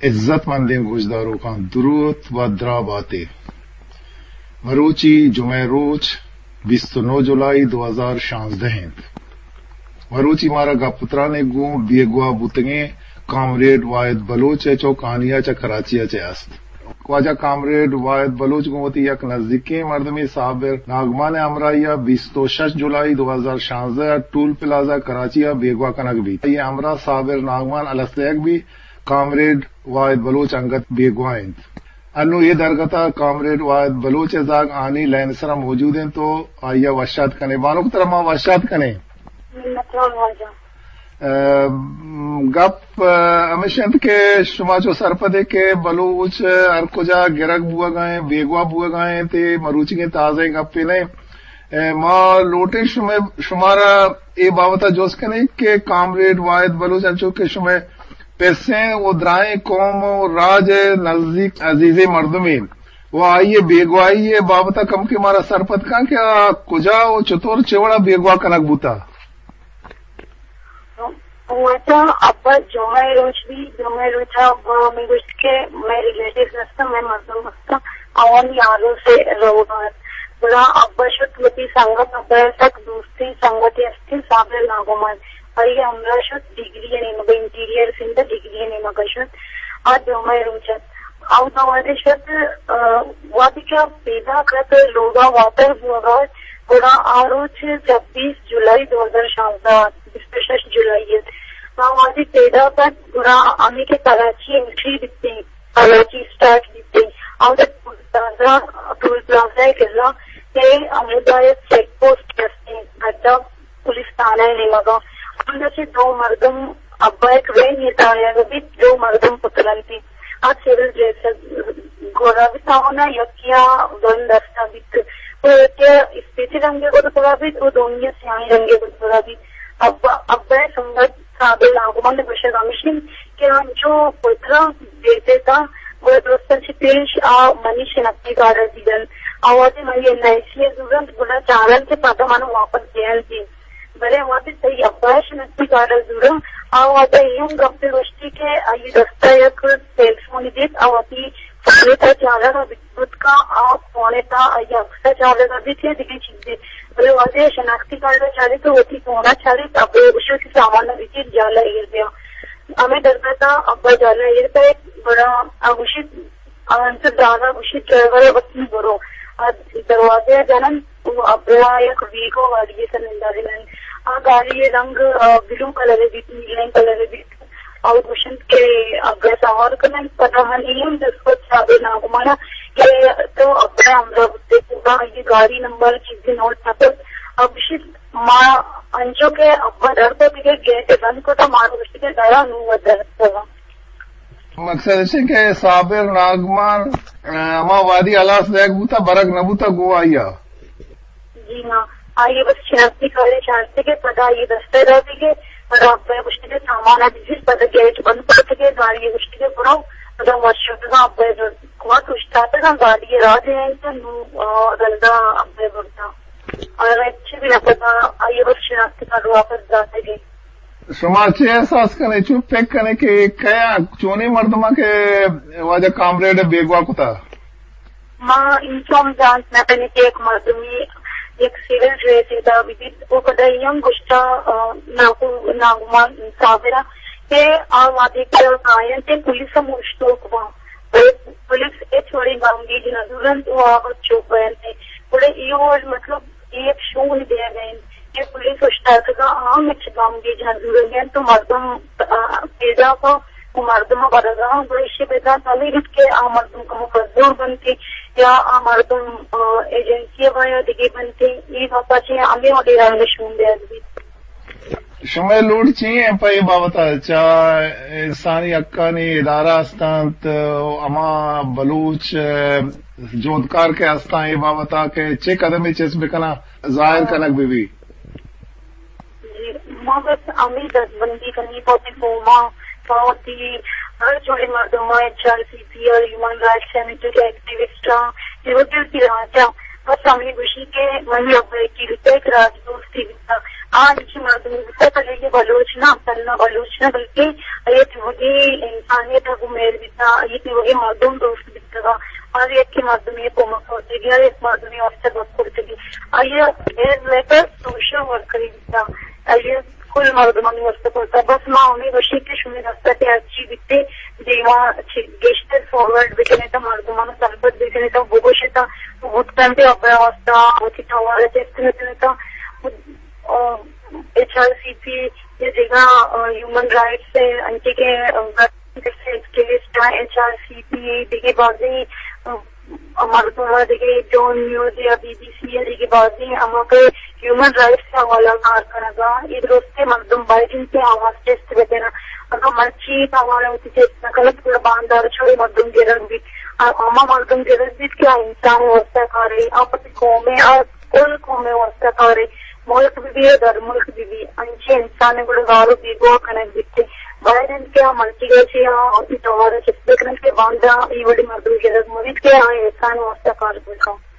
عزت مندیں گوشداروکاں دروت و دراہ باتے۔ مروچی جمعہ روچ بیست و نو جولائی دو ہزار شانزدہ انت۔ مروچی مارا گپ و ترانے گوں بیگواہ بوتگیں کامریڈ واحد بلوچ ء چو کانیا چہ کراچی ء چہ است۔ واجہ کامریڈ واحد بلوچ گوں وتی یک نزیکیں مردمے صابر ناگمان ء ہمراہی ء بیست و شش جولائی دو ہزار شانزدہ ء ٹول پلازہ کراچی ء بیگواہ کنگ بیت۔ آئی ء ہمراہ صابر ناگمان الس دئیگ بیت۔ کامریڈ واحد بلوچ انگت بیگواہ انت۔ انوں اے درگت ء کامریڈ واحد بلوچ ء زاگ آنی لائن ء سرا موجود انت و آئی ء وشات کنیں۔ بانک ترا ما وشات کنیں۔ منتوار واجہ۔ ء، گپ، ء، ہمیش انت کہ شما چو سرپدے کہ بلوچ ہر کجا گرگ بوگا انت، بیگواہ بوگا انت، اے مروچیگیں تازہ گپے نہ انت۔ ء، ما لوٹیں شمے، شمارا اے بابت ء جست کنیں کہ کامریڈ واحد بلوچ انچو کہ شمے پسیں و درائیں قوم و راج ء نزیک عزیزیں مردمے و آئی ء بیگواہی ء بابت ء کمکے مارا سرپد کن کہ آ کجا و چطور چہ وڑا بیگواہ کنگ بوتا؟ واجہ، ابا جمعہ روچ بی، جمعہ روچ ابا ہمیں گوشت کہ مئے ریلیٹیوز ہستن، مئے مردم ہستن، آوانی آروس روگا انت۔ گڑا ابا شت وتی سنگت، ابا سک دوستیں سنگتے ہستیں صابر ناگمان، آئی ہمراہ شت ڈگری نیمگا، انٹیریئر سندھ ڈگری نیمگا شت۔ آ جمعہ روچ ات۔ اودا وہدے شت، آ، وہدے کہ پیداک ات لوگا واتر بوگا ات، گڑا آ روچ چھبیس جولائی دو ہزار شانزدہ ات، بیست و شش جولائی ات۔ ما وہدے پیداک ات، گڑا ہمیں کہ کراچی انٹری بیتیں، کراچی اسٹارٹ بیتیں، اودا ٹول پلازہ، ٹول پلازہ ء قلعہ کہ ہمودا یک چیک پوسٹ ہستیں، گڈا پولیس تھانہ ء نیمگا۔ ہمدا چہ دو مردم، ابا یک وین ء تاہیگ بیت، دو مردم پترنتی۔ آ سول ڈریس ء گورا بیت، آہانا یکیا گن دستا بیت، و یکیا اسپیتی رنگ ء گورا بیت، و دومی سیاہیں رنگ ء گورا بیت۔ ابا، ابا ء سنگت صابر ناگمان ء گوشگ ہمیش انت کہ انچو پترا بیتے تا، گڑا درستاں چہ پیش آ منی شناختی کارڈ ء دیدن۔ آ وہدے منی این آئی سی ء زورنت، گڑا چارنت کہ پدا من واپس دیان دی۔ بلے وہدے تئی ابا ء شناختی کارڈ ء زورنت، آ وہدے اے ہم گپے گوشتی کہ آئی دستا یک سیل فون دیت، آ وتی فون ء تہا چارگ ء بیت کن، آ فون ء تہا آئی عکس ء چارگ ء بیت یا دگہ چیزے۔ بلے وہدے شناختی کارڈ ء چاریت و وتی فون ء چاریت، ابا ء گوشت کہ سامان ء بچیر جالا ایر بیا۔ ہمے درگت ء ابا جالا ایر کئیت، گڑا آ گوشیت، آ انچو دانا گوشیت، ڈرائیور ء وتی برو۔ آ دروازہ ء جننت و ابا یک ویگو گاڑی ء سر ننداریننت۔ آ گاڑی ء رنگ، آ، بلو کلر ء بیت، نیلیں کلر ء بیت۔ آ گوشنت کہ ابا ء سوار کننت، پدا من اے ہم جست کت صابر ناگمان ء کہ تو ابا ء ہمراہ بوتے، پورا آئی گاڑی نمبر چیزے نوٹ نہ کت۔ آ گوشیت، ما انچو کہ ابا در کت دگہ گیٹ بند کت، مارا گوشت کہ درا نوں وت در اتکگاں۔ مقصد اش کہ صابر ناگمان، ء، ہما وہدی ہلاس دئیگ بوتا، برگ نہ بوتا گوں آئی ء۔ جی ہاں، آئی ء بس شناختی کارڈ چارتگ ء پدا آئی ء دست ء داتگ ء پدا ابا ء گوشتگ ء سامان ء بزیر، پدا گیٹ بند کتگ ء گاڑی ء گوشتگ ء برو، پدا وت شتگاں ابا ء کمک اوشتاتگاں گاڑی ء راہ دینت نوں، آ، رندا ابا ء برتاں۔ آ ہچی بھی نہ پدا آئی ء بس شناختی کارڈ واپس داتگ ء۔ شما چے احساس کنے، چون پک کنے کہ کیا چونیں مردماں کہ واجہ کامریڈ ء بیگواہ کتا؟ ما انچو ہم زانت نہ کنیں کہ یک مردمے یک سول ڈریس ء تہا بہ بیت۔ و پدا اے ہم گوشتا، آ، ناگو-، ناگمان صابرا کہ آ وہدے کہ کاینت پولیس ہم اوشتوک باں، بلے پولیس ہچ وڑیں گامگیج نہ زورنت و آ وت چوپ بینت۔ گڑا اے وڑ مطلب اے یک شون دیگ ء انت کہ پولیس اوشتاتگاں، آ ہم ہچ گامگیج نہ زورگ ء انت و مردم، آ، پیداک ء و مردم ء برگ ء انت، گڑا ایشی ء بزانت ہمے بیت کہ آ مردم کمو کزور بنت یا آ مردم، آ، ایجنسی ء باں یا دگہ بنت، اے گپ ء چہ ہمے وڑیں رنگ ء شون دیگ بیت۔ شمئے لوٹ چی انت پہ اے بابت ء؟ چہ انسانی حقانی ادارہ ہست انت، ہما بلوچ جہدکار کہ ہستاں، اے بابت ء کہ چے قدمے چست بکناں، ظاہر کنگ بہ بی؟ جی، ما بس ہمے دزبندی کنیں پہ وتی قوم ء، پہ وتی ہر جوڑیں مردم ء، ایچ آر سی پی ء، ہیومن رائٹس ء، ایکٹیوسٹ ء، اے وتی وتی راج ء۔ بس ہمے گوشی کہ منی ابا یکے بیتا، یک راج دوستے بیتا۔ آ انچیں مردمے بیتا، بلے اے بلوچ نہ، تھنا بلوچ نہ، بلکہ اے وتی آئی ءَ تہ گوں مہر بیتا، آئی ءِ وڑیں مردم دوست بیتگ، ہر یکے مردمے ءَ کمک کرتگی، ہر یک مردمے ءِ واستہ گپ کرتگی۔ آئی ءَ ایز لیٹر سوشل ورکری بیتا، آئی ءَ کل مردمانی واستہ کرتا۔ بس ما ہمے گوشیں کہ شمئے دست ءَ کہ ہرچی بیتے، دیما چہ گیشتر فارورڈ بکنے تا، مردماں سرپد بکنے تا، بگوشے تا، بوت کنتے ابا واستہ وتی توار ءَ چست نہ کنے تا۔ آ، ایچ آر سی پی یا دگہ، آ، ہیومن رائٹس ءِ انچیں کہ، آ، ایکٹیوسٹ ءَ، ایچ آر سی پی ءِ دگہ بازیں، آ، مردم ءَ، دگہ ڈون نیوز یا بی بی سی ءِ دگہ بازیں ہما کہ ہیومن رائٹس ءِ حوالہ کار کنگ ءَ، اے درستیں مردم باید انت کہ آواز چست بہ کناں۔ اگاں مرچی توار ءَ وتی چست نہ کنت، گڑا باندار چوڑے مردم گرگ بیت۔ آ، ہما مردم گرگ بیت کہ آ انسان ءِ واستہ کارے، آ پتی قوم ءِ، آ کل قوم ءِ واستہ کارے، ملک بہ بی یا در ملک بہ بی، انچیں انسان ءَ گڑا گار ءُ بیگواہ کنگ بیت۔ باید انت کہ آ مرچیگ ءَ چہ آ وتی توار ءَ چست بہ کننت کہ باندا اے وڑیں مردم گرگ مہ بیت کہ آ انسان ءِ واستہ کار بہ کنت۔